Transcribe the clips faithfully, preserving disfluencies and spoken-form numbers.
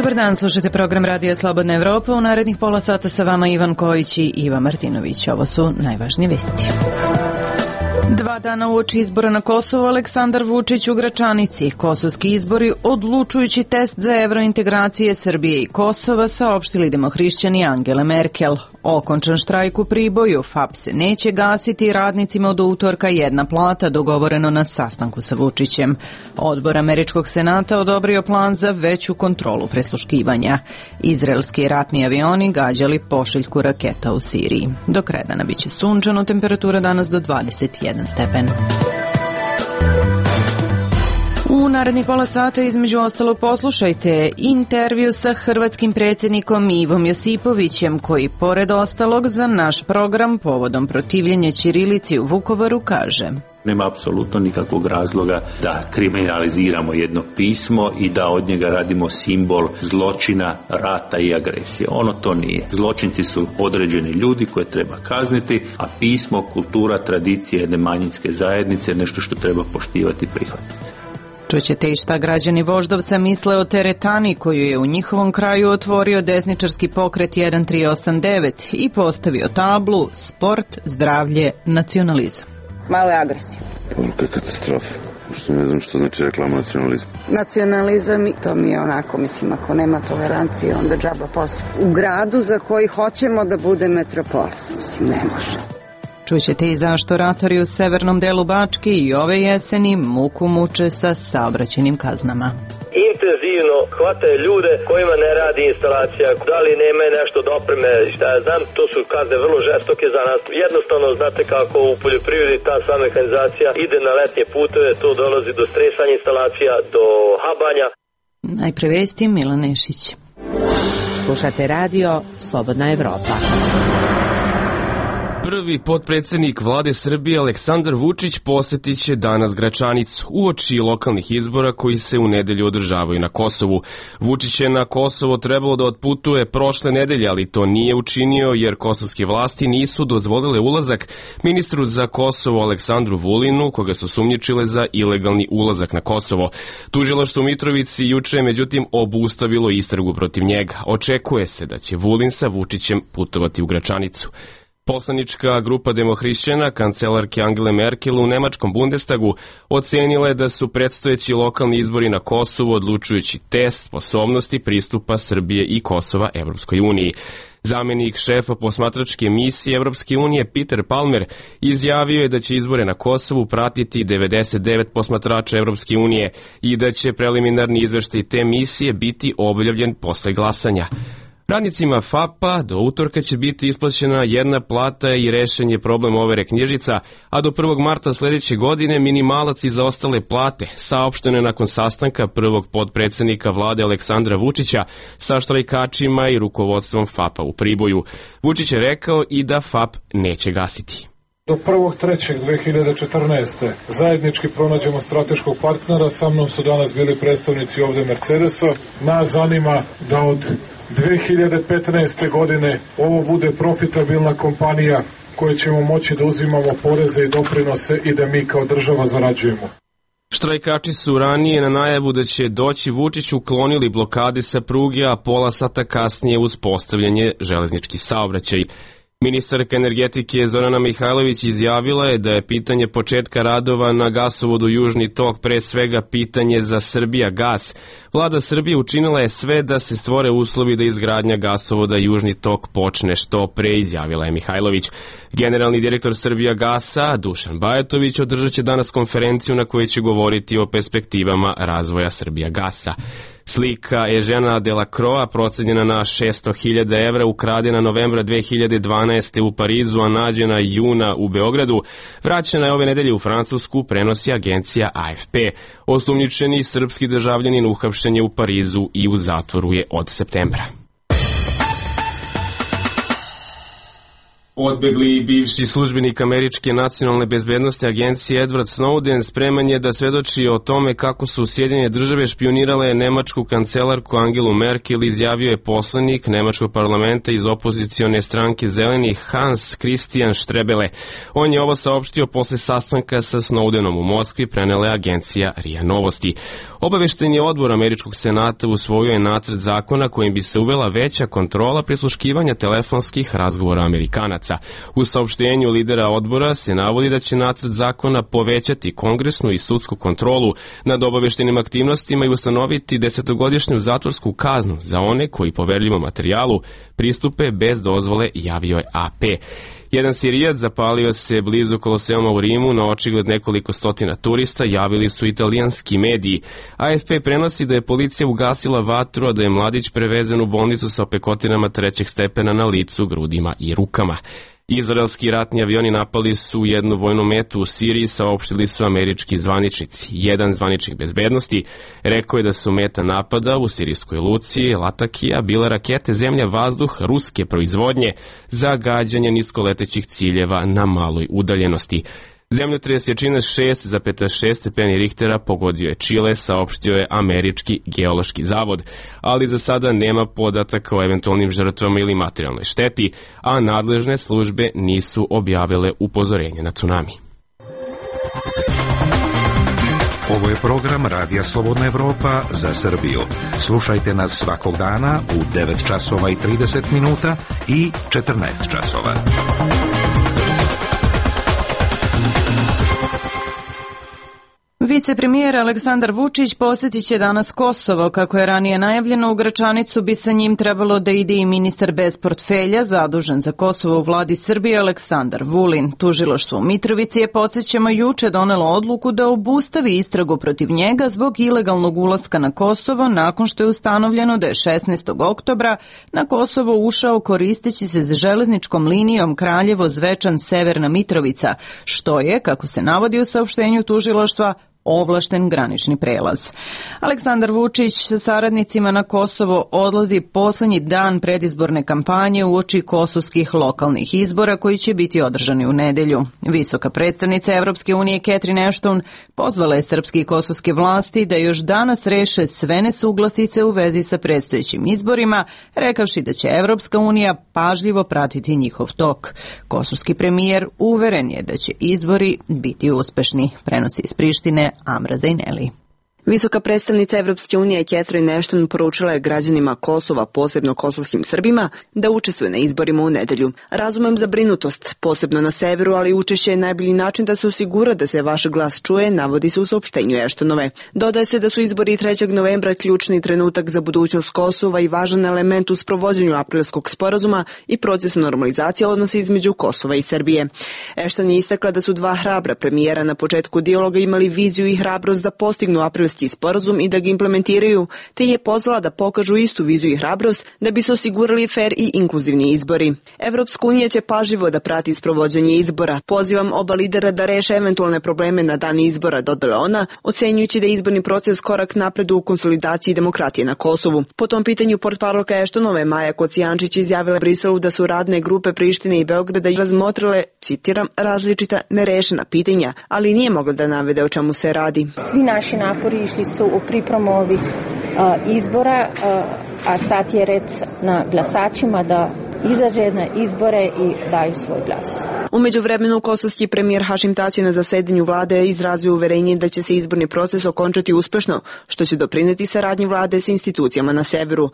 Dobar dan, slušajte program Radija Slobodna Evropa. U narednih pola sata sa vama Ivan Kojić i Iva Martinović. Ovo su najvažnije vesti. Dva dana uoči izbora na Kosovo, Aleksandar Vučić u Gračanici. Kosovski izbori, odlučujući test za evrointegracije Srbije i Kosova, saopštili demohrišćani Angele Merkel. Okončan štrajk u Priboju, F A P se neće gasiti, radnicima od utorka jedna plata, dogovoreno na sastanku sa Vučićem. Odbor Američkog senata odobrio plan za veću kontrolu prisluškivanja. Izraelski ratni avioni gađali pošiljku raketa u Siriji. Do kraja dana biće sunčano, temperatura danas do dvadeset jedan stepen. U narednih pola sata između ostalog poslušajte intervju sa hrvatskim predsjednikom Ivom Josipovićem, koji pored ostalog za naš program povodom protivljenja ćirilici u Vukovaru kaže: Nema apsolutno nikakvog razloga da kriminaliziramo jedno pismo i da od njega radimo simbol zločina, rata i agresije. Ono to nije. Zločinci su određeni ljudi koje treba kazniti, a pismo, kultura, tradicija jedne manjinske zajednice je nešto što treba poštivati i prihvatiti. Čućete i šta građani Voždovca misle o teretani koju je u njihovom kraju otvorio desničarski pokret jedan tri osam devet i postavio tablu sport, zdravlje, nacionalizam. Malo je agresija. Poruka katastrofa. Što ne znam što znači reklama nacionalizma. Nacionalizam, to mi je onako, mislim, ako nema tolerancije, onda džaba posao. U gradu za koji hoćemo da bude metropolis, mislim, ne može. Čućete i zašto ratori u severnom delu Bačke i ove jeseni muku muče sa saobraćajnim kaznama. Intenzivno hvataju ljude kojima ne radi instalacija, da li nema nešto dopreme, šta ja znam, to su kazne vrlo žestoke za nas. Jednostavno, znate kako u poljoprivredi ta sva mehanizacija ide na letnje puteve, to dolazi do stresanja instalacija, do habanja. Najpre vesti, Milan Nešić. Slušate radio Slobodna Evropa. Prvi potpredsjednik vlade Srbije Aleksandar Vučić posjetit će danas Gračanicu uoči lokalnih izbora koji se u nedelju održavaju na Kosovu. Vučić je na Kosovo trebalo da otputuje prošle nedelje, ali to nije učinio jer kosovske vlasti nisu dozvolile ulazak ministru za Kosovo Aleksandru Vulinu, koga su sumnjičile za ilegalni ulazak na Kosovo. Tužilaštvo u Mitrovici juče je međutim obustavilo istragu protiv njega. Očekuje se da će Vulin sa Vučićem putovati u Gračanicu. Poslanička grupa demohrišćana kancelarke Angele Merkel u nemačkom Bundestagu ocenila je da su predstojeći lokalni izbori na Kosovu odlučujući test sposobnosti pristupa Srbije i Kosova Evropskoj uniji. Zamenik šefa posmatračke misije Evropske unije Peter Palmer izjavio je da će izbore na Kosovu pratiti devedeset devet posmatrača Evropske unije i da će preliminarni izveštaj te misije biti objavljen posle glasanja. Radnicima F A P-a do utorka će biti isplaćena jedna plata i rešen je problem overe knjižica, a do prvog marta sljedeće godine minimalac i za ostale plate, saopšteno je nakon sastanka prvog potpredsjednika vlade Aleksandra Vučića sa štrajkačima i rukovodstvom F A P-a u Priboju. Vučić je rekao i da F A P neće gasiti. Do prvog trećeg dve hiljade četrnaeste. zajednički pronađemo strateškog partnera, sa mnom su danas bili predstavnici ovde Mercedesa. Nas zanima da od dve hiljade petnaeste. godine ovo bude profitabilna kompanija koje ćemo moći da uzimamo poreze i doprinose i da mi kao država zarađujemo. Štrajkači su ranije na najavu da će doći Vučić uklonili blokade sa pruge, a pola sata kasnije uspostavljanje železnički saobraćaj. Ministarka energetike Zorana Mihajlović izjavila je da je pitanje početka radova na gasovodu Južni tok pre svega pitanje za Srbijagas. Vlada Srbije učinila je sve da se stvore uslovi da izgradnja gasovoda Južni tok počne što pre, izjavila je Mihajlović. Generalni direktor Srbijagasa Dušan Bajatović održat će danas konferenciju na kojoj će govoriti o perspektivama razvoja Srbijagasa. Slika Eugena Delacroix procenjena na šesto hiljada evra ukradena novembra dve hiljade dvanaeste. u Parizu, a nađena juna u Beogradu, vraćena je ove nedelje u Francusku, prenosi agencija A F P. Osumnjičeni srpski državljanin uhapšen je u Parizu i u zatvoru je od septembra. Odbegli bivši službenik američke nacionalne bezbednosti agencije Edward Snowden spreman je da svedoči o tome kako su Sjedinjene države špionirale nemačku kancelarku Angelu Merkel, izjavio je poslanik nemačkog parlamenta iz opozicione stranke Zelenih Hans Christian Strebele. On je ovo saopštio posle sastanka sa Snowdenom u Moskvi, prenela je agencija R I A Novosti. Obavešteni odbor američkog senata usvojio je nacrt zakona kojim bi se uvela veća kontrola prisluškivanja telefonskih razgovora Amerikanaca. U saopštenju lidera odbora se navodi da će nacrt zakona povećati kongresnu i sudsku kontrolu nad obaveštenim aktivnostima i ustanoviti desetogodišnju zatvorsku kaznu za one koji poverljivom materijalu pristupe bez dozvole, javio je A P. Jedan Sirijac zapalio se blizu Koloseuma u Rimu na očigled nekoliko stotina turista, javili su italijanski mediji. A F P prenosi da je policija ugasila vatru, a da je mladić prevezen u bolnicu sa opekotinama trećeg stepena na licu, grudima i rukama. Izraelski ratni avioni napali su jednu vojnu metu u Siriji, saopštili su američki zvaničnici. Jedan zvaničnik bezbednosti rekao je da su meta napada u sirijskoj luci Latakija bile rakete zemlja-vazduh ruske proizvodnje za gađanje niskoletećih ciljeva na maloj udaljenosti. Zemljotres jačine šest zarez šest stepeni Richtera pogodio je Čile, saopštio je američki geološki zavod, ali za sada nema podataka o eventualnim žrtvama ili materijalnoj šteti, a nadležne službe nisu objavile upozorenje na tsunami. Ovo je program Radija Slobodna Evropa za Srbiju. Slušajte nas svakog dana u devet časova i trideset minuta i četrnaest časova. Vicepremijer Aleksandar Vučić posjetit će danas Kosovo. Kako je ranije najavljeno, u Gračanicu bi sa njim trebalo da ide i ministar bez portfelja zadužen za Kosovo u vladi Srbije Aleksandar Vulin. Tužilaštvo u Mitrovici je, podsjećamo, juče donelo odluku da obustavi istragu protiv njega zbog ilegalnog ulaska na Kosovo nakon što je ustanovljeno da je šesnaestog oktobra na Kosovo ušao koristeći se za železničkom linijom Kraljevo-Zvečan-Severna Mitrovica, što je, kako se navodi u saopštenju tužilaštva, ovlašten granični prelaz. Aleksandar Vučić sa saradnicima na Kosovo odlazi poslednji dan predizborne kampanje uoči kosovskih lokalnih izbora koji će biti održani u nedelju. Visoka predstavnica Evropske unije Catherine Ashton pozvala je srpske i kosovske vlasti da još danas reše sve nesuglasice u vezi sa predstojećim izborima, rekavši da će Evropska unija pažljivo pratiti njihov tok. Kosovski premijer uveren je da će izbori biti uspešni, prenosi iz Prištine Amra Zajneli. Visoka predstavnica Evropske unije Catherine Ashton poručila je građanima Kosova, posebno kosovskim Srbima, da učestvuje na izborima u nedelju. Razumem zabrinutost, posebno na severu, ali učešće je najbolji način da se osigura da se vaš glas čuje, navodi se u saopštenju Ashtonove. Dodaje se da su izbori trećeg novembra ključni trenutak za budućnost Kosova i važan element u sprovođenju aprilskog sporazuma i procesa normalizacije odnosa između Kosova i Srbije. Ashton je istakla da su dva hrabra premijera na početku dijaloga imali viziju i hrabrost da postignu aprilski sporazum i da ga implementiraju, te je pozvala da pokažu istu viziju i hrabrost da bi se osigurali fer i inkluzivni izbori. Evropska unija će pažljivo da prati sprovođenje izbora. Pozivam oba lidera da reše eventualne probleme na dan izbora, dodala ona, ocenjujući da je izborni proces korak napred u konsolidaciji demokratije na Kosovu. Po tom pitanju portparolka Ashtonove Maja Kocijančić izjavila Briselu da su radne grupe Prištine i Beograda razmotrile, citiram, različita nerešena pitanja, ali nije mogla da navede o čemu se radi. Svi naši napori išli su u pripremu ovih a, izbora, a, a sad je red na glasačima da izađe na izbore i daju svoj glas. U međuvremenu kosovski premijer Hašim Tači na zasedanju vlade izrazio uverenje da će se izborni proces okončati uspešno, što će doprineti saradnji vlade sa institucijama na severu.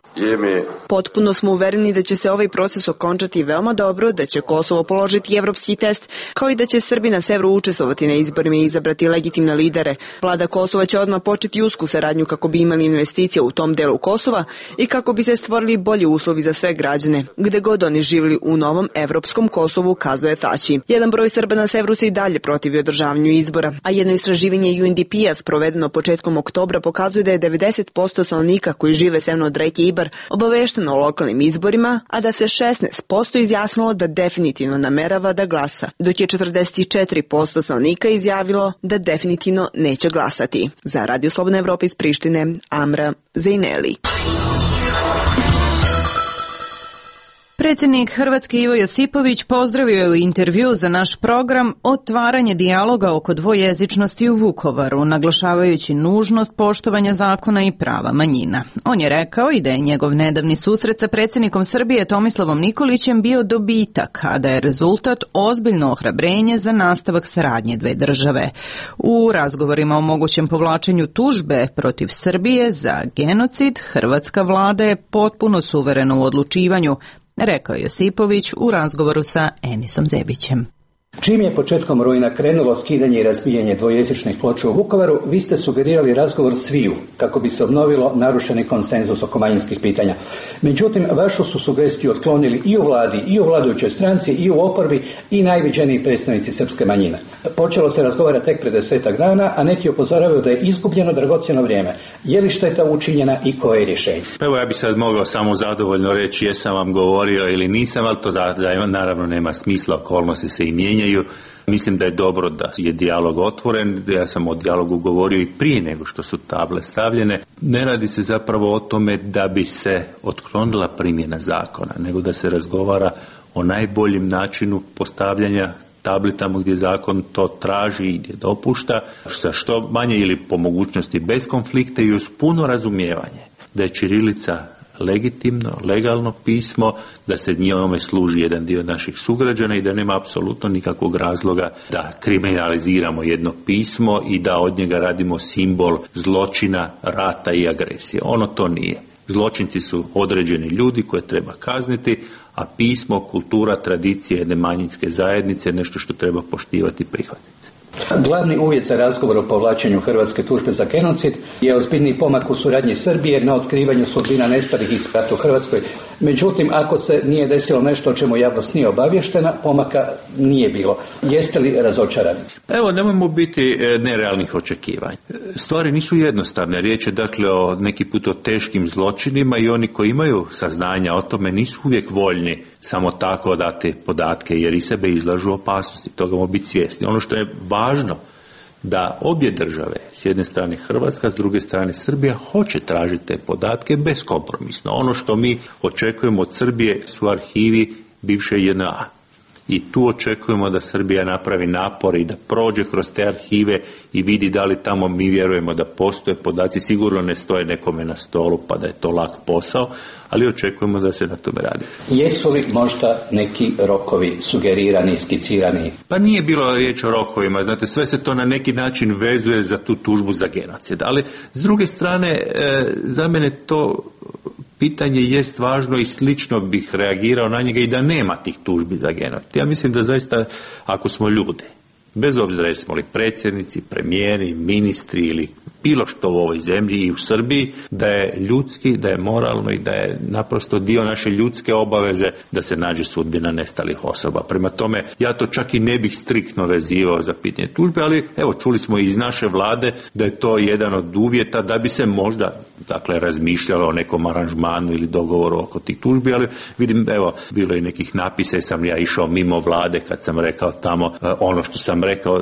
Potpuno smo uvereni da će se ovaj proces okončati veoma dobro, da će Kosovo položiti evropski test, kao i da će Srbi na severu učestvovati na izborima i izabrati legitimne lidere. Vlada Kosova će odmah početi usku saradnju kako bi imali investicije u tom delu Kosova i kako bi se stvorili bolji uslovi za sve građane, gde god oni živjeli u novom evropskom Kosovu, kazuje Tači. Jedan broj Srba na severu se i dalje protivi održavanju izbora, a jedno istraživanje U N D P-a sprovedeno početkom oktobra pokazuje da je devedeset posto stanovnika koji žive severno od reke Ibar obavešteno o lokalnim izborima, a da se šesnaest posto izjasnilo da definitivno namerava da glasa, dok je četrdeset četiri posto stanovnika izjavilo da definitivno neće glasati. Za Radio Slobodna Evropa iz Prištine, Amra Zajneli. Vicepremijer Aleksandar Vučić posjetit će danas Kosovo. Kako je ranije najavljeno, u Gračanicu bi sa njim trebalo da ide i ministar bez portfelja zadužen za Kosovo u vladi Srbije Aleksandar Vulin. Tužilaštvo u Mitrovici je, podsjećamo, juče donelo odluku da obustavi istragu protiv njega zbog ilegalnog ulaska na Kosovo nakon što je ustanovljeno da je šesnaestog oktobra na Kosovo ušao koristeći se za železničkom linijom Kraljevo-Zvečan-Severna Mitrovica, što je, kako se navodi u saopštenju tužilaštva, ovlašten granični prelaz. Aleksandar Vučić sa saradnicima na Kosovo odlazi poslednji dan predizborne kampanje uoči kosovskih lokalnih izbora koji će biti održani u nedelju. Visoka predstavnica Evropske unije Catherine Ashton Predsjednik Hrvatske Ivo Josipović pozdravio je u intervju za naš program otvaranje dijaloga oko dvojezičnosti u Vukovaru, naglašavajući nužnost poštovanja zakona i prava manjina. On je rekao i da je njegov nedavni susret sa predsjednikom Srbije Tomislavom Nikolićem bio dobitak, a da je rezultat ozbiljno ohrabrenje za nastavak saradnje dve države. U razgovorima o mogućem povlačenju tužbe protiv Srbije za genocid, hrvatska vlada je potpuno suverena u odlučivanju, rekao je Josipović u razgovoru sa Enisom Zebićem. Čim je početkom rujna krenulo skidanje i razbijanje dvojezičnih ploča u Vukovaru, vi ste sugerirali razgovor sviju kako bi se obnovilo narušeni konsenzus oko manjinskih pitanja. Međutim, vašu su sugestiju otklonili i u vladi, i u vladajućoj stranci, i u oporbi, i najviđeniji predstavnici srpske manjine. Počelo se razgovara tek pred desetak dana, a neki upozoravaju da je izgubljeno dragocjeno vrijeme. Je li šteta učinjena i koje je rješenje? Evo, ja bih sad mogao samo zadovoljno reći jesam vam govorio ili nisam, ali to da, da naravno nema smisla, okolnosti se i mijenjaju. Mislim da je dobro da je dijalog otvoren, ja sam o dijalogu govorio i prije nego što su table stavljene. Ne radi se zapravo o tome da bi se otklonila primjena zakona, nego da se razgovara o najboljem načinu postavljanja tabli tamo gdje zakon to traži i gdje dopušta, sa što manje ili po mogućnosti bez konflikta i uz puno razumijevanje da je ćirilica legitimno, legalno pismo, da se njome služi jedan dio naših sugrađana i da nema apsolutno nikakvog razloga da kriminaliziramo jedno pismo i da od njega radimo simbol zločina, rata i agresije. Ono to nije. Zločinci su određeni ljudi koje treba kazniti, a pismo, kultura, tradicija jedne manjinske zajednice je nešto što treba poštivati i prihvatiti. Glavni uvjet za razgovor o povlačenju hrvatske tužbe za genocid je ozbiljni pomak u suradnji Srbije na otkrivanju sudbina nestalih iz rata u Hrvatskoj. Međutim, ako se nije desilo nešto o čemu javnost nije obavještena, pomaka nije bilo. Jeste li razočarani? Evo, nemojmo biti nerealnih očekivanja. Stvari nisu jednostavne. Riječ je dakle o neki put o teškim zločinima i oni koji imaju saznanja o tome nisu uvijek voljni samo tako dati podatke jer i sebe izlažu opasnosti. Toga moramo biti svjesni. Ono što je važno da obje države, s jedne strane Hrvatska, s druge strane Srbija, hoće tražiti te podatke beskompromisno. Ono što mi očekujemo od Srbije su arhivi bivše J N A. I tu očekujemo da Srbija napravi napor i da prođe kroz te arhive i vidi da li tamo mi vjerujemo da postoje podaci. Sigurno ne stoje nekome na stolu pa da je to lak posao, ali očekujemo da se na tome radi. Jesu li možda neki rokovi sugerirani, skicirani? Pa nije bilo riječ o rokovima. Znate, sve se to na neki način vezuje za tu tužbu za genocid. Ali s druge strane, e, za mene to pitanje jest važno i slično bih reagirao na njega i da nema tih tužbi za genocid. Ja mislim da zaista, ako smo ljudi, bez obzira jesmo li predsjednici, premijeri, ministri ili bilo što u ovoj zemlji i u Srbiji, da je ljudski, da je moralno i da je naprosto dio naše ljudske obaveze da se nađe sudbina nestalih osoba. Prema tome, ja to čak i ne bih striktno vezivao za pitanje tužbe, ali evo, čuli smo i iz naše vlade da je to jedan od uvjeta da bi se možda, dakle, razmišljalo o nekom aranžmanu ili dogovoru oko tih tužbi, ali vidim, evo, bilo je nekih napisa i sam ja išao mimo vlade kad sam rekao tamo ono što sam rekao,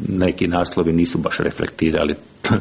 neki naslovi nisu baš reflektirali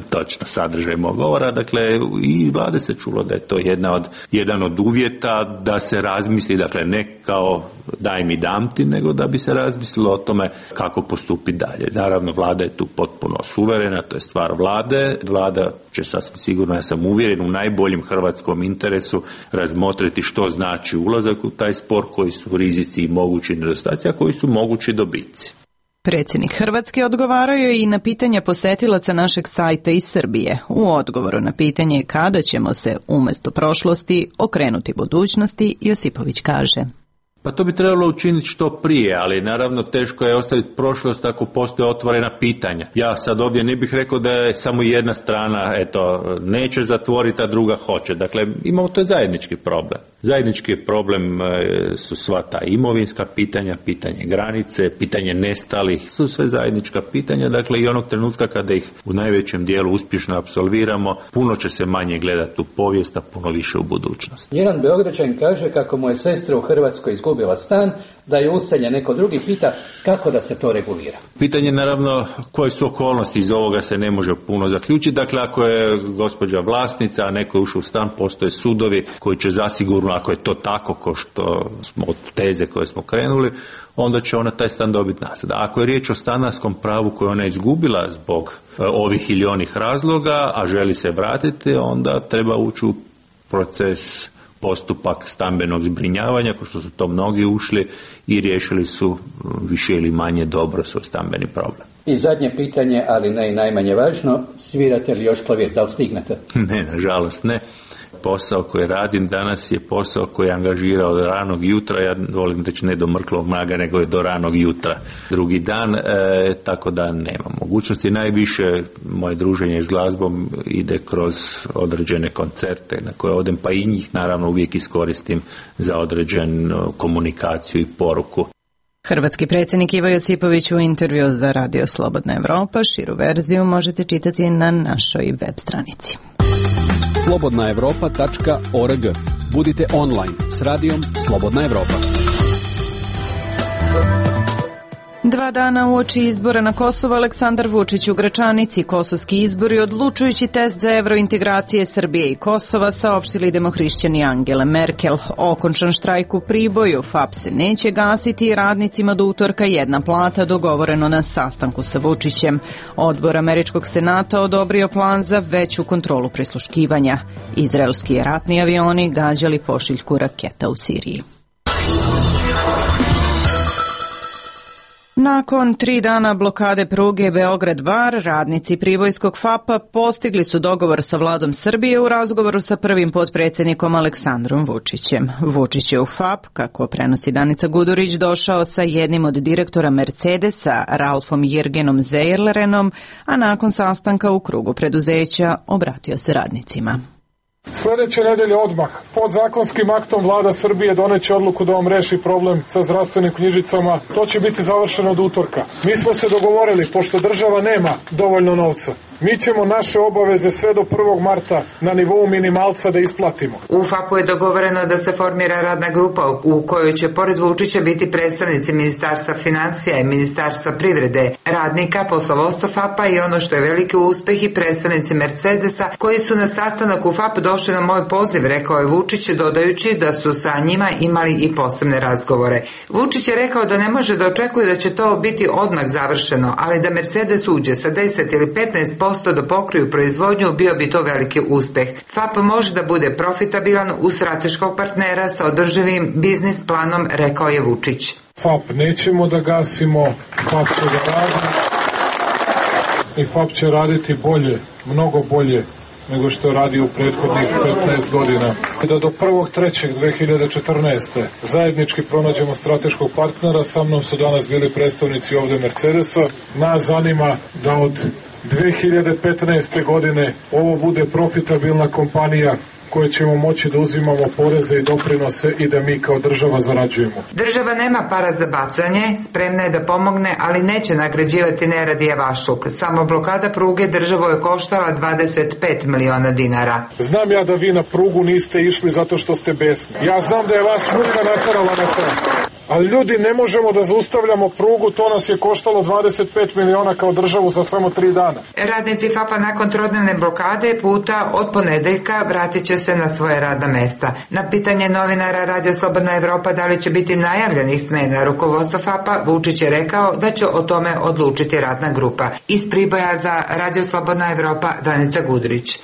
točno sadržaj mog govora, dakle i vlade se čulo da je to jedna od, jedan od uvjeta da se razmisli, dakle ne kao daj mi dam ti, nego da bi se razmislilo o tome kako postupiti dalje. Naravno, vlada je tu potpuno suverena, to je stvar vlade. Vlada će sasvim sigurno, ja sam uvjeren, u najboljem hrvatskom interesu razmotriti što znači ulazak u taj spor, koji su rizici i mogući nedostaci, a koji su mogući dobici. Predsjednik Hrvatske odgovarao je i na pitanja posetilaca našeg sajta iz Srbije. U odgovoru na pitanje kada ćemo se umjesto prošlosti okrenuti budućnosti, Josipović kaže: Pa to bi trebalo učiniti što prije, ali naravno teško je ostaviti prošlost ako postoje otvorena pitanja. Ja sad ovdje ne bih rekao da je samo jedna strana, eto, neće zatvoriti, a druga hoće. Dakle, imamo, to je zajednički problem. Zajednički problem su sva ta imovinska pitanja, pitanje granice, pitanje nestalih, su sve zajednička pitanja, dakle i onog trenutka kada ih u najvećem dijelu uspješno apsolviramo, puno će se manje gledati u povijest, a puno više u budućnost. Jedan Beograđanin kaže kako mu je sestra u Hrvatskoj izgubila izgubila stan, da je useljen neko drugi, pita kako da se to regulira. Pitanje naravno koje su okolnosti, iz ovoga se ne može puno zaključiti. Dakle, ako je gospođa vlasnica, a neko je ušao u stan, postoje sudovi koji će zasigurno, ako je to tako ko što smo od teze koje smo krenuli, onda će ona taj stan dobiti nazad. Ako je riječ o stanarskom pravu koje ona izgubila zbog ovih ili onih razloga, a želi se vratiti, onda treba ući u proces, postupak stambenog zbrinjavanja, ko što su to mnogi ušli i riješili su više ili manje dobro svoj stambeni problem. I zadnje pitanje, ali ne i najmanje važno, svirate li još klavir, da li stignete? Ne, nažalost ne. Posao koji radim danas je posao koji je angažirao od ranog jutra, ja volim reći ne do mrklog maga, nego je do ranog jutra drugi dan, e, tako da nema mogućnosti. Najviše moje druženje s glazbom ide kroz određene koncerte na koje odem, pa i njih naravno uvijek iskoristim za određenu komunikaciju i poruku. Hrvatski predsjednik Ivo Josipović u intervju za Radio Slobodna Evropa. Širu verziju možete čitati na našoj web stranici. slobodna evropa tačka org. Budite online s radijom Slobodna Evropa. Dva dana uoči izbora na Kosovo, Aleksandar Vučić u Gračanici. Kosovski izbori odlučujući test za evrointegracije Srbije i Kosova, saopštili demohrišćani Angele Merkel. Okončan štrajk u Priboju, F A P se neće gasiti i radnicima do utorka jedna plata, dogovoreno na sastanku sa Vučićem. Odbor Američkog senata odobrio plan za veću kontrolu prisluškivanja. Izraelski ratni avioni gađali pošiljku raketa u Siriji. Nakon tri dana blokade pruge Beograd-Bar, radnici Pribojskog F A P-a postigli su dogovor sa vladom Srbije u razgovoru sa prvim potpredsjednikom Aleksandrom Vučićem. Vučić je u F A P, kako prenosi Danica Gudurić, došao sa jednim od direktora Mercedesa, Ralfom Jirgenom Zejerlerenom, a nakon sastanka u krugu preduzeća obratio se radnicima. Sljedeće nedelje odmah podzakonskim aktom vlada Srbije doneće odluku da vam reši problem sa zdravstvenim knjižicama. To će biti završeno od utorka. Mi smo se dogovorili, pošto država nema dovoljno novca, mi ćemo naše obaveze sve do prvog marta na nivou minimalca da isplatimo. U F A P-u je dogovoreno da se formira radna grupa u kojoj će pored Vučića biti predstavnici Ministarstva financija i Ministarstva privrede, radnika, poslovodstva F A P-a i ono što je veliki uspeh i predstavnici Mercedesa koji su na sastanak u F A P došli na moj poziv, rekao je Vučić, dodajući da su sa njima imali i posebne razgovore. Vučić je rekao da ne može da očekuje da će to biti odmah završeno, ali da Mercedes uđe sa deset ili petnaest posto da pokriju proizvodnju, bio bi to veliki uspeh. F A P može da bude profitabilan u strateškog partnera sa održivim biznis planom, rekao je Vučić. F A P nećemo da gasimo, F A P će da radi i F A P će raditi bolje, mnogo bolje nego što je radio u prethodnih petnaest godina. Da do prvog trećeg dve hiljade četrnaeste. zajednički pronađemo strateškog partnera, sa mnom su danas bili predstavnici ovde Mercedesa. Nas zanima da od dve hiljade petnaeste. godine ovo bude profitabilna kompanija koje ćemo moći da uzimamo poreze i doprinose i da mi kao država zarađujemo. Država nema para za bacanje, spremna je da pomogne, ali neće nagrađivati nerad i javašluk. Samo blokada pruge državu je koštala dvadeset pet miliona dinara. Znam ja da vi na prugu niste išli zato što ste besni. Ja znam da je vas muka naterala na to. Ali ljudi, ne možemo da zaustavljamo prugu, to nas je koštalo dvadeset pet miliona kao državu za samo tri dana. Radnici F A P-a nakon trodnevne blokade puta od ponedeljka vratit će se na svoje radna mesta. Na pitanje novinara Radio Slobodna Evropa da li će biti najavljenih smena rukovodstva F A P-a, Vučić je rekao da će o tome odlučiti radna grupa. Iz Priboja za Radio Slobodna Evropa, Danica Gudrić.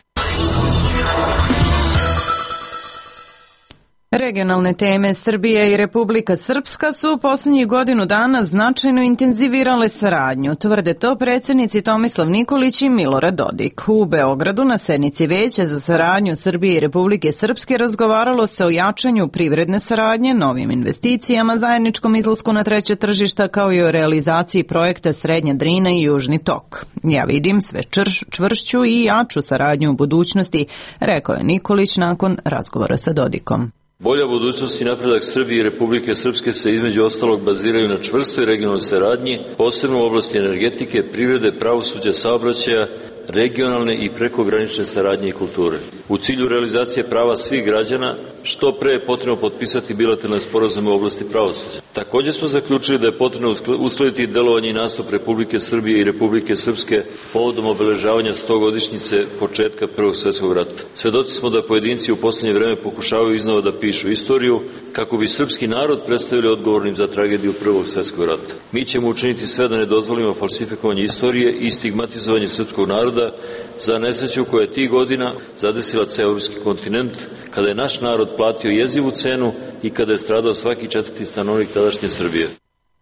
Regionalne teme Srbije i Republika Srpska su u posljednjih godinu dana značajno intenzivirale saradnju, tvrde to predsjednici Tomislav Nikolić i Milorad Dodik. U Beogradu na sednici Veća za saradnju Srbije i Republike Srpske razgovaralo se o jačanju privredne saradnje, novim investicijama, zajedničkom izlasku na treće tržišta kao i o realizaciji projekta Srednja Drina i Južni tok. Ja vidim sve črš, čvršću i jaču saradnju u budućnosti, rekao je Nikolić nakon razgovora sa Dodikom. Bolja budućnost i napredak Srbije i Republike Srpske se između ostalog baziraju na čvrstoj regionalnoj saradnji, posebno u oblasti energetike, privrede, pravosuđa, saobraćaja, regionalne i prekogranične saradnje i kulture. U cilju realizacije prava svih građana, što pre je potrebno potpisati bilateralne sporazume u oblasti pravosuđa. Također smo zaključili da je potrebno uskladiti delovanje i nastup Republike Srbije i Republike Srpske povodom obeležavanja stogodišnjice početka Prvog svjetskog rata. Svedoci smo da pojedinci u posljednje vreme pokušavaju iznova da pišu istoriju kako bi srpski narod predstavili odgovornim za tragediju Prvog svjetskog rata. Mi ćemo učiniti sve da ne dozvolimo falsifikovanje istorije i stigmatizovanje srpskog naroda za nesreću koja je tih godina zadesila ceo evropski kontinent, kada je naš narod platio jezivu cenu i kada je stradao svaki četvrti stanovnik tadašnje Srbije.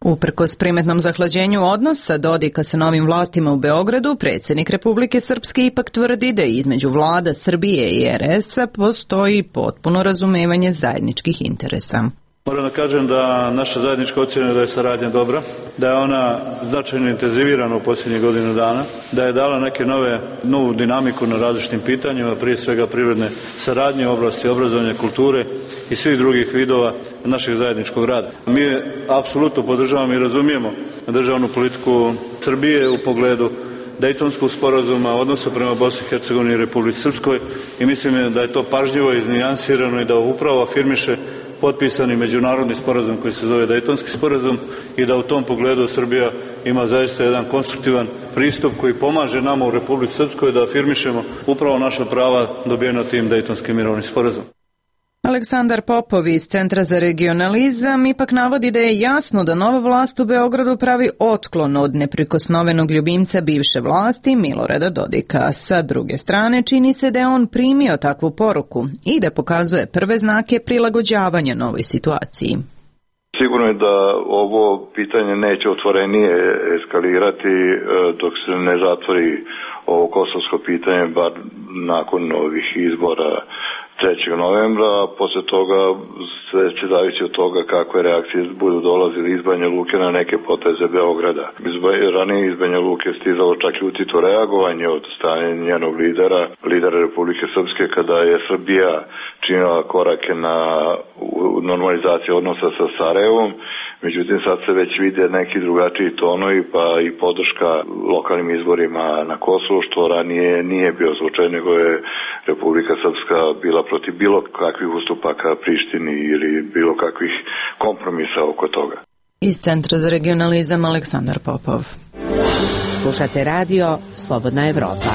Uprkos primetnom zahlađenju odnosa Dodika sa novim vlastima u Beogradu, predsjednik Republike Srpske ipak tvrdi da između vlada Srbije i er es-a postoji potpuno razumevanje zajedničkih interesa. Moram da kažem da naša zajednička ocjena je da je saradnja dobra, da je ona značajno intenzivirana u posljednjih godinu dana, da je dala neke nove, novu dinamiku na različitim pitanjima, prije svega privredne saradnje u oblasti obrazovanja, kulture i svih drugih vidova našeg zajedničkog rada. Mi apsolutno podržavamo i razumijemo državnu politiku Srbije u pogledu Dejtonskog sporazuma, odnosa prema Bosni i Hercegovini i Republici Srpskoj i mislim da je to pažljivo iznijansirano i da upravo afirmiše potpisani međunarodni sporazum koji se zove Dejtonski sporazum i da u tom pogledu Srbija ima zaista jedan konstruktivan pristup koji pomaže nama u Republici Srpskoj da afirmišemo upravo naša prava dobijena tim Dejtonskim mirovnim sporazumom. Aleksandar Popov iz Centra za regionalizam ipak navodi da je jasno da nova vlast u Beogradu pravi otklon od neprikosnovenog ljubimca bivše vlasti Milorada Dodika. Sa druge strane, čini se da je on primio takvu poruku i da pokazuje prve znake prilagođavanja novoj situaciji. Sigurno je da ovo pitanje neće otvorenije eskalirati dok se ne zatvori ovo kosovsko pitanje, bar nakon ovih izbora trećeg novembra, a posle toga sve će zavisi od toga kakve reakcije budu dolazili iz Banja Luke na neke poteze Beograda. Ranije iz Banja Luke stizalo čak i utito reagovanje od strane njenog lidera, lidera Republike Srpske, kada je Srbija činila korake na normalizaciju odnosa sa Sarajevom. Međutim, sad se već vide neki drugačiji tonovi, pa i podrška lokalnim izborima na Kosovu, što ranije nije bio slučaj, nego je Republika Srpska bila protiv bilo kakvih ustupaka Prištini ili bilo kakvih kompromisa oko toga. Iz Centra za regionalizam Aleksandar Popov. Slušate radio Slobodna Evropa.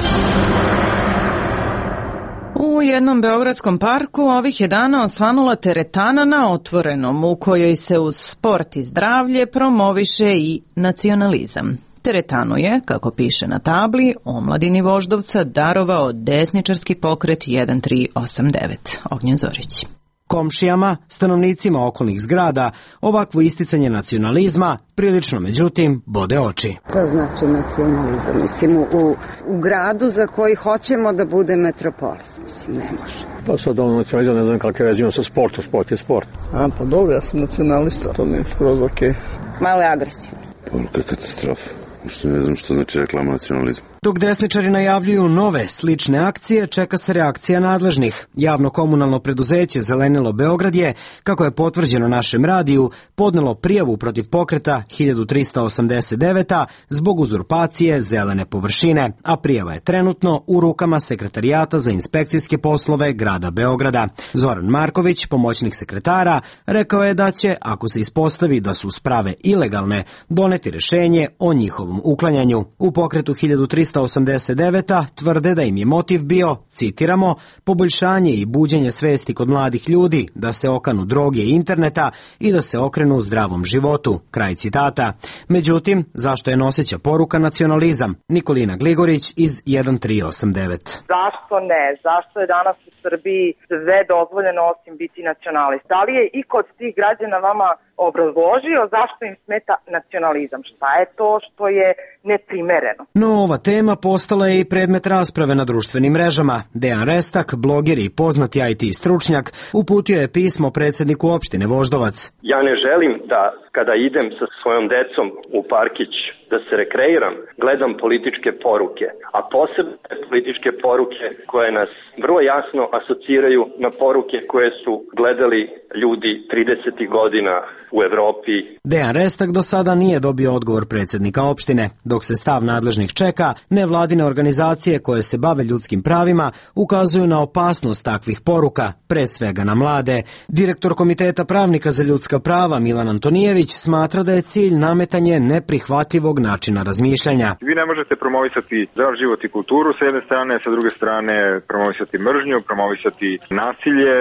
U jednom beogradskom parku ovih je dana osvanula teretana na otvorenom u kojoj se uz sport i zdravlje promoviše i nacionalizam. Teretanu je, kako piše na tabli, omladini Voždovca darovao desničarski pokret jedan tri osam devet. Ognjen Zorić. Komšijama, stanovnicima okolnih zgrada, ovakvo isticanje nacionalizma prilično, međutim, bode oči. To znači nacionalizam, mislim, u, u gradu za koji hoćemo da bude metropolis, mislim, ne može. Pa sad ono nacionalizam, ne znam kakve veze ima sa sportom, sport je sport. A, pa dobro, ja sam nacionalista, to mi je skroz okej. Malo je agresivno. Poruka katastrofa. Što ne znam što znači reklama nacionalizma. Dok desničari najavljuju nove, slične akcije, čeka se reakcija nadležnih. Javno-komunalno preduzeće Zelenilo Beograd je, kako je potvrđeno našem radiju, podnelo prijavu protiv pokreta hiljadu trista osamdeset devet zbog uzurpacije zelene površine, a prijava je trenutno u rukama Sekretarijata za inspekcijske poslove grada Beograda. Zoran Marković, pomoćnik sekretara, rekao je da će, ako se ispostavi da su sprave ilegalne, doneti rešenje o njihovom uklanjanju. U pokretu hiljadu trista osamdeset devet tvrde da im je motiv bio, citiramo, poboljšanje i buđenje svesti kod mladih ljudi da se okanu droge i interneta i da se okrenu zdravom životu, kraj citata. Međutim, zašto je noseća poruka nacionalizam? Nikolina Gligorić iz jedan tri osam devet. Zašto ne? Zašto je danas u Srbiji sve dozvoljeno osim biti nacionalist? Da li je i kod tih građana vama obrazložio zašto im smeta nacionalizam? Šta je to što je neprimereno? No, ova tema postala je i predmet rasprave na društvenim mrežama. Dejan Restak, bloger i poznati I T stručnjak, uputio je pismo predsjedniku opštine Voždovac. Ja ne želim da kada idem sa svojom decom u parkić da se rekreiram, gledam političke poruke, a posebno političke poruke koje nas vrlo jasno asociraju na poruke koje su gledali ljudi tridesetih godina u Evropi. Dejan Restak do sada nije dobio odgovor predsjednika opštine. Dok se stav nadležnih čeka, nevladine organizacije koje se bave ljudskim pravima ukazuju na opasnost takvih poruka, pre svega na mlade. Direktor Komiteta pravnika za ljudska prava Milan Antonijević smatra da je cilj nametanje neprihvatljivog načina razmišljanja. Vi ne možete promovisati zdrav život i kulturu sa jedne strane, sa druge strane promovisati mržnju, promovisati nasilje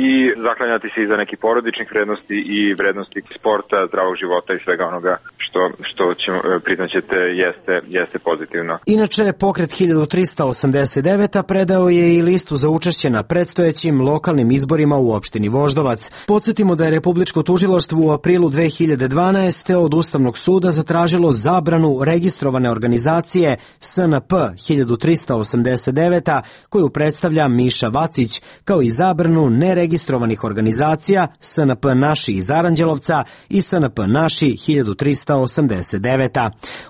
i zaklanjati se iza nekih porodičnih vrednosti i vrednosti sporta, zdravog života i svega onoga što, što ćemo, priznaćete jeste, jeste pozitivno. Inače, pokret hiljadu trista osamdeset devet predao je i listu za učešće na predstojećim lokalnim izborima u opštini Voždovac. Podsjetimo da je Republičko tužilaštvo u aprilu dve hiljade dvanaeste. od Ustavnog suda zatražilo zabranu registrovane organizacije S N P hiljadu trista osamdeset devet koju predstavlja Miša Vacić, kao i zabranu neregistrovanih organizacija S N P Naši iz Aranđelovca i S N P Naši hiljadu trista osamdeset devet.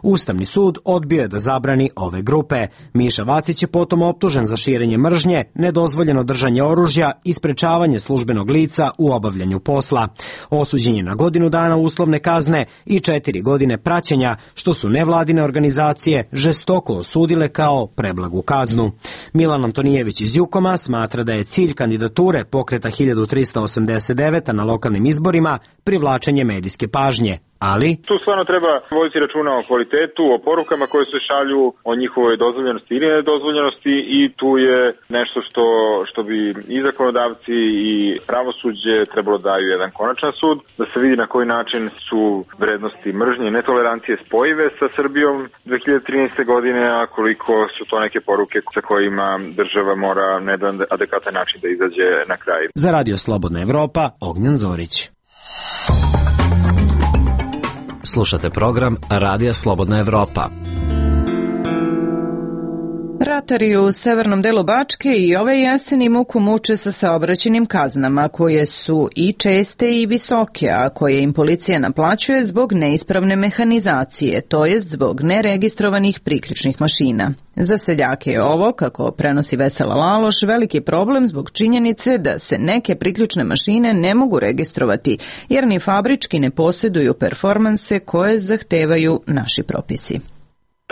Ustavni sud odbio je da zabrani ove grupe. Miša Vacić je potom optužen za širenje mržnje, nedozvoljeno držanje oružja i sprečavanje službenog lica u obavljanju posla. Osuđen je na godinu dana uslovne kazne i četiri godine praćenja, što su nevladine organizacije žestoko osudile kao preblagu kaznu. Milan Antonijević iz Jukoma smatra da je cilj kandidature pokreta hiljadu trista osamdeset devet na lokalnim izborima privlačenje medijske pažnje. Ali tu stvarno treba voditi računa o kvalitetu, o porukama koje se šalju, o njihovoj dozvoljenosti ili nedozvoljenosti i tu je nešto što, što bi i zakonodavci i pravosuđe trebalo daju jedan konačan sud, da se vidi na koji način su vrednosti mržnje i netolerancije spojive sa Srbijom dve hiljade trinaeste. godine, a koliko su to neke poruke sa kojima država mora na jedan adekvatan način da izađe na kraj. Za Radio Slobodna Evropa, Ognjan Zorić. Slušate program Radija Slobodna Evropa. Ratari u severnom delu Bačke i ove jeseni muku muče sa saobraćajnim kaznama, koje su i česte i visoke, a koje im policija naplaćuje zbog neispravne mehanizacije, to jest zbog neregistrovanih priključnih mašina. Za seljake je ovo, kako prenosi Vesela Laloš, veliki problem zbog činjenice da se neke priključne mašine ne mogu registrovati, jer ni fabrički ne posjeduju performanse koje zahtevaju naši propisi.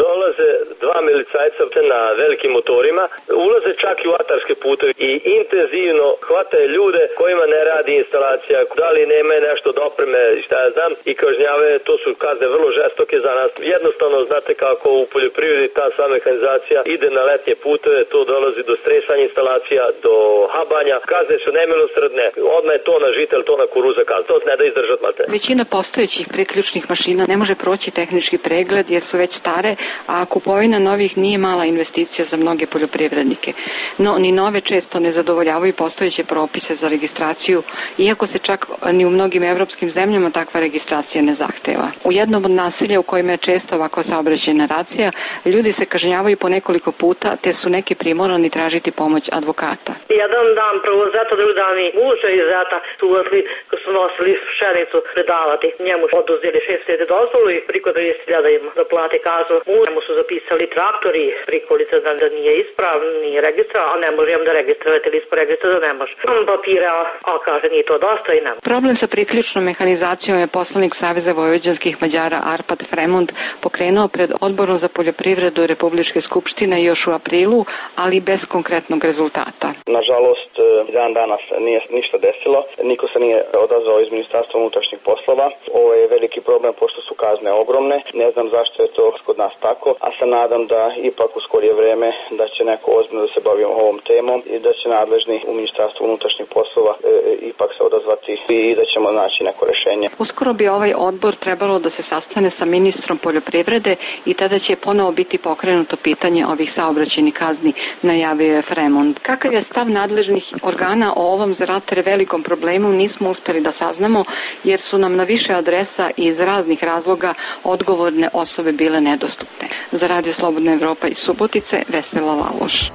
Dolaze dva milicajca na velikim motorima, ulaze čak i u atarske puteve i intenzivno hvataju ljude kojima ne radi instalacija, da li nema nešto dopreme, šta ja znam, i kažnjave. To su kazne vrlo žestoke za nas. Jednostavno, znate kako u poljoprivredi ta sva mehanizacija ide na letnje puteve, to dolazi do stresanja instalacija, do habanja. Kazne su nemilosrdne, odmah je to na žitel, to na kuruza kazne. To ne da izdržat mate. Većina postojećih priključnih mašina ne može proći tehnički pregled jer su već stare, a kupovina novih nije mala investicija za mnoge poljoprivrednike. No, ni nove često ne zadovoljavaju postojeće propise za registraciju, iako se čak ni u mnogim evropskim zemljama takva registracija ne zahteva. U jednom od naselja u kojima je često ovako saobraćajna racija, ljudi se kažnjavaju po nekoliko puta, te su neki primorani tražiti pomoć advokata. Jedan dan prvo zeta, drugi dan mi muže iz zeta su uvazli, ko su nosili pšenicu predavati. Njemu oduzeli šest hiljada dozvolu i priko dvadeset hiljada im da plate kaznu. Njemu su zapisali traktori, prikolica da, da nije ispravan, nije registrovan, a ne možem da registrovati ili ispod registra da ne može. Imam papira, a kaže nije to dosta i ne. Problem sa priključnom mehanizacijom je poslanik Saveza vojvođanskih Mađara Arpad Fremond pokrenuo pred Odborom za poljoprivredu Republičke skupštine još u aprilu, ali bez konkretnog rezultata. Nažalost, dan danas nije ništa desilo, niko se nije odazvao iz Ministarstva unutrašnjih poslova. Ovo je veliki problem pošto su kazne ogromne, ne znam zašto je to kod nas tako, a se nadam da ipak u skorije vreme da će neko ozbiljno da se bavi ovom temom i da će nadležni u Ministarstvu unutrašnjih poslova e, ipak se odazvati i da ćemo naći neko rešenje. Uskoro bi ovaj odbor trebalo da se sastane sa ministrom poljoprivrede i tada će ponovo biti pokrenuto pitanje ovih saobraćajnih kazni, najavio je Fremond. Kakav je stav nadležnih organa o ovom za ratare velikom problemu nismo uspeli da saznamo, jer su nam na više adresa i iz raznih razloga odgovorne osobe bile nedostupne. Za Radio Slobodna Evropa iz Subotice, Vesela Laloš.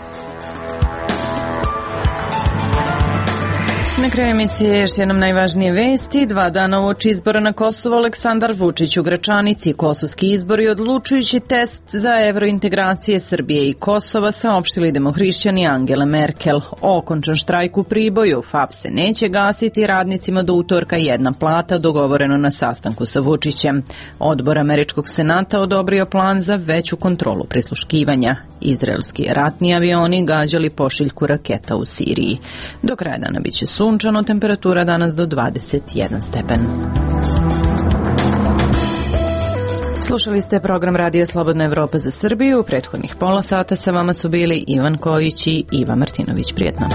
Na kraju emisije još jednom najvažnije vesti. Dva dana uoči izbora na Kosovo, Aleksandar Vučić u Gračanici. Kosovski izbori odlučujući test za evrointegracije Srbije i Kosova, saopštili demohrišćani Angele Merkel. Okončan štrajk u Priboju. F A P se neće gasiti, radnicima do utorka jedna plata, dogovoreno na sastanku sa Vučićem. Odbor Američkog senata odobrio plan za veću kontrolu prisluškivanja. Izraelski ratni avioni gađali pošiljku raketa u Siriji. Do kraja dana biće sunčano, temperatura danas do dvadeset jedan stepen. Slušali ste program Radija Slobodna Evropa za Srbiju. U prethodnih pola sata sa vama su bili Ivan Kojić i Iva Martinović. Prijetno.